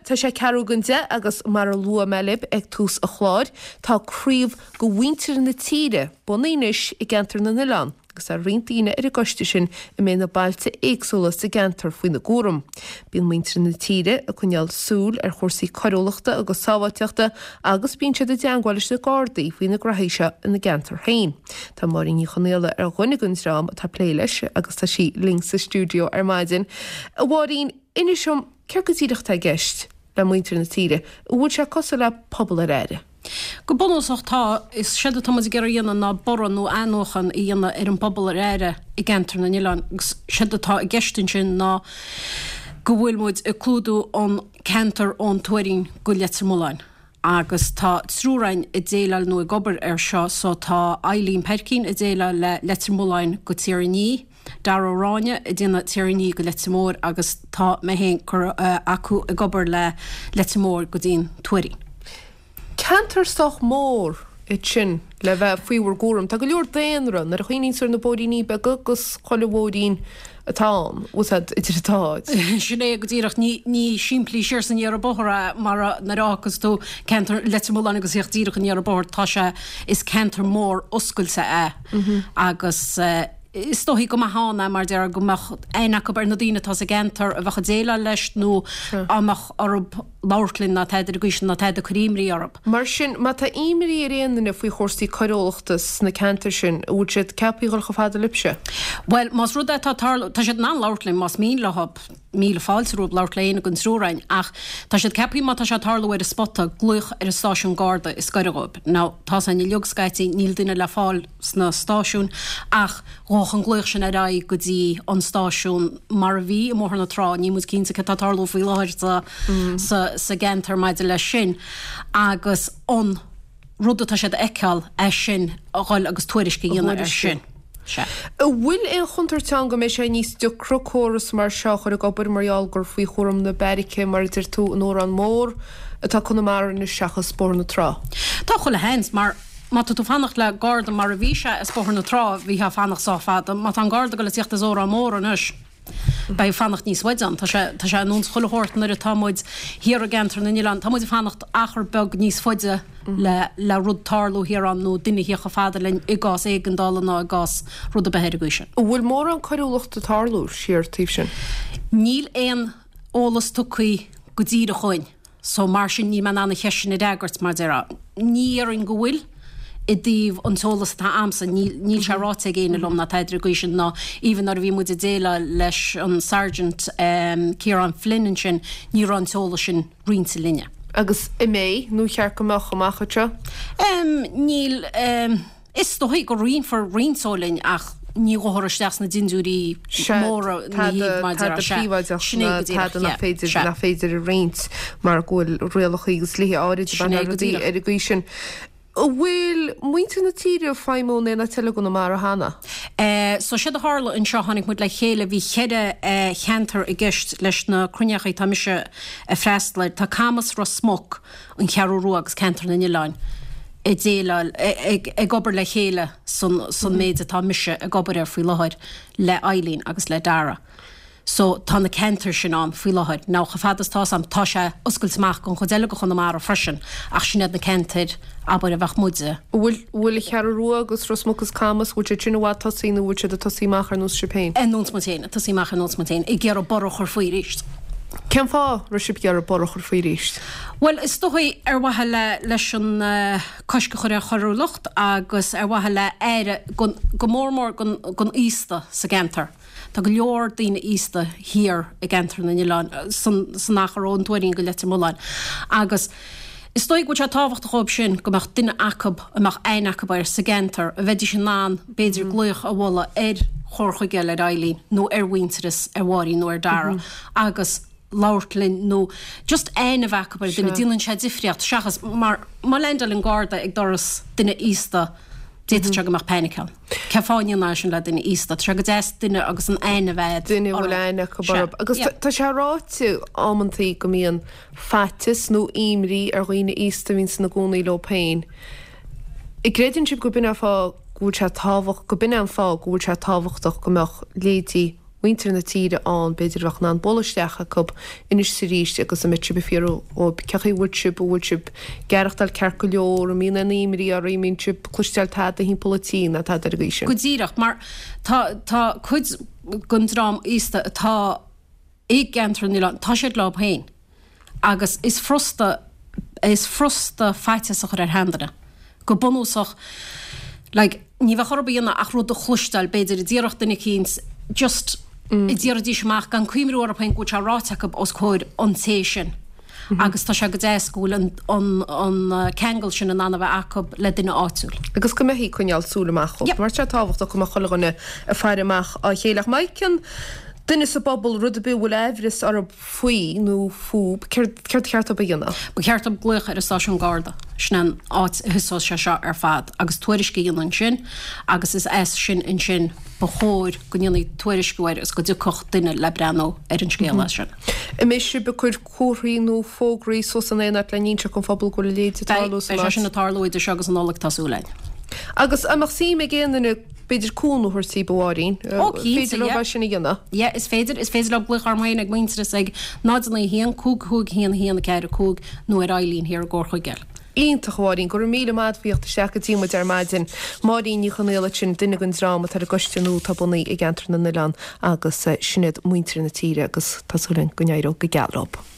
Tá sé ceathrú don 10 agus mar a luaigh mé libh ag tús an chláir, tá craobh de mhuintir na tíre bunaithe anois i gCeantar na nOileán agus tá roinnt daoine ar an gcoiste sin a mbeidh na bailte éagsúla sa gceantar faoina gcúram. Bíonn muintir na tíre ag coinneáil súil ar chúrsaí coiriúlachta agus sábháilteachta agus bíonn siad i dteangmháil leis na Gardaí faoi na graithí seo ina gceantar féin. Tá Máirín Ní Chonaola ar dhuine den dream atá ag plé leis agus tá sí linn sa stiúideo ar maidin. A Mháirín, inis dom, céard go díreach atá i gceist le muintir na tíre? An bhfuil sé cosúil le pobal ar aire? Go bunúsach tá. Is séard atá muid ag iarraidh a dhéanamh ná borradh nó athnuachan a dhéanamh ar an bpobal ar aire i gceantar na n-oileán agus séard atá i gceist ansin ná go bhfuil muid ag clúdú an ceantar ón Tuairín go Leitir Mealláin agus tá triúr againn ag déileáil nó ag obair air seo so tá Eileen Peircín ag déileáil le Leitir Mealláin go Tír an Fhia, Dara Ó Ráinne ag déanamh Tír an Fhia go Leitir Móir agus tá mé féin acu ag obair le Leitir Móir go dtí'n Tuairín. Ceantar sách mór é sin le bheith faoi bhur gcúram. Tá go leor daonra, nuair a chuimhníonn tú ar na bóithríní beaga agus chuile bhóithrín atá ann, bhfuil a fhios agat, idir an dá áit. Sin é go díreach. Ní, ní simplí siar is aniar an bóthar é mar a, nuair a fhágas tú ceantar Leitir Mealláin agus theacht díreach aniar an bóthar, tá sé, is ceantar mór oscailte é agus is dóichí go mbeadh ann é mar déarfá go mbeadh aithne acu ar na daoine atá sa gceantar a bheadh ag déileáil leis nó dá mbeadh orthu labhairt linn ná tada ar an gcaoi sin ná tada ag cur imní orthu. Mar sin, má tá imní ar aon duine faoi chúrsaí coiriúlachta sna ceantair sin, an bhfuil siad ceaptha a dhul chomh fada libhse? Bhuel, más rud é atá ag tarlú, tá siad in ann labhairt linn más mian leo, míle fáilte rompu labhairt le éinne den triúr againn, ach tá siad ceaptha má tá sé ag tarlú ar an spota, glaoch ar an stáisiún Garda is gaire dhóibh. Now, tá a fhios againn uilig scaití, níl duine le fáil sna stáisiúin ach ghabhfadh an glaoch sin ar aghaidh go dtí an stáisiún mar a bhí i mBóthar na Trá, níl muid cinnte cad tá ag tarlú faoi láthair sa sa gceantar maidir leis sin agus an rud atá siad a fheiceáil é sin a dhul agus tuairisc a dhéanamh air sin. Sea. An bhfuil aon chontúirt ann go mbeidh sé níos deacra córas mar seo a chur ag obair mar gheall gur faoi chúram na beairice, mar a deir tú, in Órán Mór atá Conamara anois seachas Bóthar na Trá? Tá chuile sheans mar Má tá tú fanacht le garda mar a bhí sé as Bóthar na Trá, bhítheá fanacht sách fada. Má tá an garda ag dul ag tíocht as Órán Mór anois, beidh fanacht níos faide ann. Tá sé, tá sé ar nós chuile shórt nuair atá muid thiar i gceantar na n-oileán, tá muid ag fanacht achar beag níos faide le, le rud tarlú thiar ann nó duine a thíocht chomh fada linn i gcás éigeandála ná i gcás rud ar bith ar an gcaoi sin. An bhfuil mórán coiriúlachta ag tarlú siar taobh sin? Níl aon eolas tugtha go díreach chugainn. So, mar sin, níl mé in ann an cheist sin a fhreagairt, mar déarfá. Ní dhéarfainn go bhfuil, i dtaobh an t-eolas atá a'msa, níl, níl sé ráite ag éinne liom ná tada ar an gcaoi sin, ná even nuair a bhí muid ag déileáil leis an Sergeant Ciarán Flynn ansin, ní raibh an t-eolas sin roinnte linne. Agus an mbeidh, nó ar cheart go mbeadh, amach anseo? Níl. Is dóichí go roinnfear roinnt eolais linn ach ní ghabhfar isteach sna dindiúirí móra ina thaobh mar tada príobháideach ná tada nach féidir nach féidir a roinnt mar go bhfuil rialacha agus dlíthe áirid ag baint le rudaí ar an gcaoi sin. An bhfuil muintir na tíre ag feidhmiú in aon áit eile i gConamara cheana? So séard a tharla anseo, tháinig muid le chéile, bhí cheithre cheantar i gceist leis na cruinneachaí atá mise ag freastal air. Tá Camas, Ros Muc, an Cheathrú Rua agus Ceantar na nOileán ag déileáil, ag obair le chéile san san méid atá mise ag obair air faoi láthair le Eileen agus le Dara. So tá na ceantair sin ann faoi láthair. Now chomh fada is tá 'fhios a'm, tá sé oscailte amach don chuid eile de Chonamara freisin ach sin iad na ceantair, abair, a bheadh muide. An bhfuil, bhfuil an Cheathrú Rua agus Ros Muc is Camas, bhfuil siad sin i bhfad tosaithe nó bhfuil siad ag tosaí amach ar nós sibh féin? Ar nós muid féin, ag tosaí amach ar nós muid féin, ag iarraidh borradh a chur faoi arís. Cén fáth raibh sibh ag iarraidh borradh a chur faoi arís? Bhuel, is dóigh ar mhaithe le, leis an coisc a chur ar choiriúlacht agus ar mhaithe le aire go, go mór mór don, don aosta sa gceantar. Tá go leor daoine aosta thiar i gceantar na n-oileán, san, san achar ón Tuairín go Leitir Mealláin agus is dóigh go bhfuil sé tábhachtach dhóibh sin go mbeadh duine acu a mbeadh aithne acu air sa gceantar a bheidís in ann b'fhéidir glaoch a bhualadh ar chur chuige eile ar Eileen nó ar Mhuintearas, ar Mháirín nó ar Dara agus labhairt linn nó just aithne a bheith acu ar dhuine, déanann sé difríocht seachas mar má leaindeálann Garda ag doras duine aosta d'fhéadfadh sé go mbeadh panic ann. Cén fáth a ndéanfá é sin le duine aosta? Tá sé go deas duine agus an aithne a bheith agat Duine a bhfuil aithne acu orthu. Agus tá sé ráite amantaí go mbíonn faitíos nó imní ar dhaoine aosta a bhíonns ina gcónaí leo féin. An gcreideann sibh go b'in é an fáth go bhfuil sé tábhacht, go b'in é an fáth go bhfuil sé tábhachtach go mbeadh leithéidí. mhuintir na tíre ann, b'fhéidir a bheadh in ann bualadh isteach acu anois is arís agus a mbeadh sibh ag fiafraí dhóibh cén chaoi a bhfuil sibh, an bhfuil sibh ag aireachtáil ceart go leor, an mbíonn aon imní oraibh, an mbíonn sibh ag cloisteáil tada thimpeall an tí ná tada ar an gcaoi sin. Go díreach, mar tá, tá cuid den dream aosta atá i gceantar na n-oileán, tá siad leo féin agus is furasta, is furasta faitíos a chur ar sheanduine. Go bunúsach, like, ní bheadh orthu a dhéanamh ach rud a chloisteáil, b'fhéidir, a déarfadh duine eicínt, just a déarfaidís amach gan cuimhniú orthu féin go bhfuil sé ráite acu os comhair an té sin. Agus tá sé go deas go bhfuil an, an, an ceangal sin in ann a bheith acu le duine áitiúil. Agus go mbeifí ag coinneáil súil amach dhóibh. Yep. Mar tá sé tábhachtach go mbeadh chuile dhuine ag faire amach á chéile. Ach má fheiceann duine sa bpobal rud ar bith a bhfuil aimhreas orthu faoi nó fúb, céard, céard ba cheart dóibh a dhéanamh? Ba cheart dóibh glaoch ar an stáisiún Garda. Sin an áit a thosós sé seo ar fad agus tuairisc a dhéanamh ansin agus is as sin ansin ba chóir go ndéanfaí tuairisciú air agus go dtiocfadh duine le breathnú ar an scéal as sin. An mbeidh sibh ag cur comharthaí nó fógraí suas in aon áit le n-inseacht don phobal go bhfuil a leithéid ag tarlú san áit? Beidh sé sin ag tarlú idir seo agus an Nollaig, tá súil againn. Agus an mbeadh suim ag aon duine b'fhéidir cúnamh a thabhairt daoibh, a Mháirín? Ó, cinnte, yeah. Féidir leo é sin a dhéanamh? Yeah, is féidir. Is féidir leo glaoch orm féin ag Muintearas ag 0 9 1 5 5 1 1 4 5 nó ar Eileen thiar i gComhar Chuigéil. Iontach, a Mháirín. Go raibh míle maith agat as theacht isteach go dtí muid ar maidin. Máirín Ní Chonaola ansin, duine den dream atá ar an gcoiste nua atá bunaithe i gceantar na nOileán agus sin iad muintir na tíre agus tá súil againn go n-éireoidh go geal leo.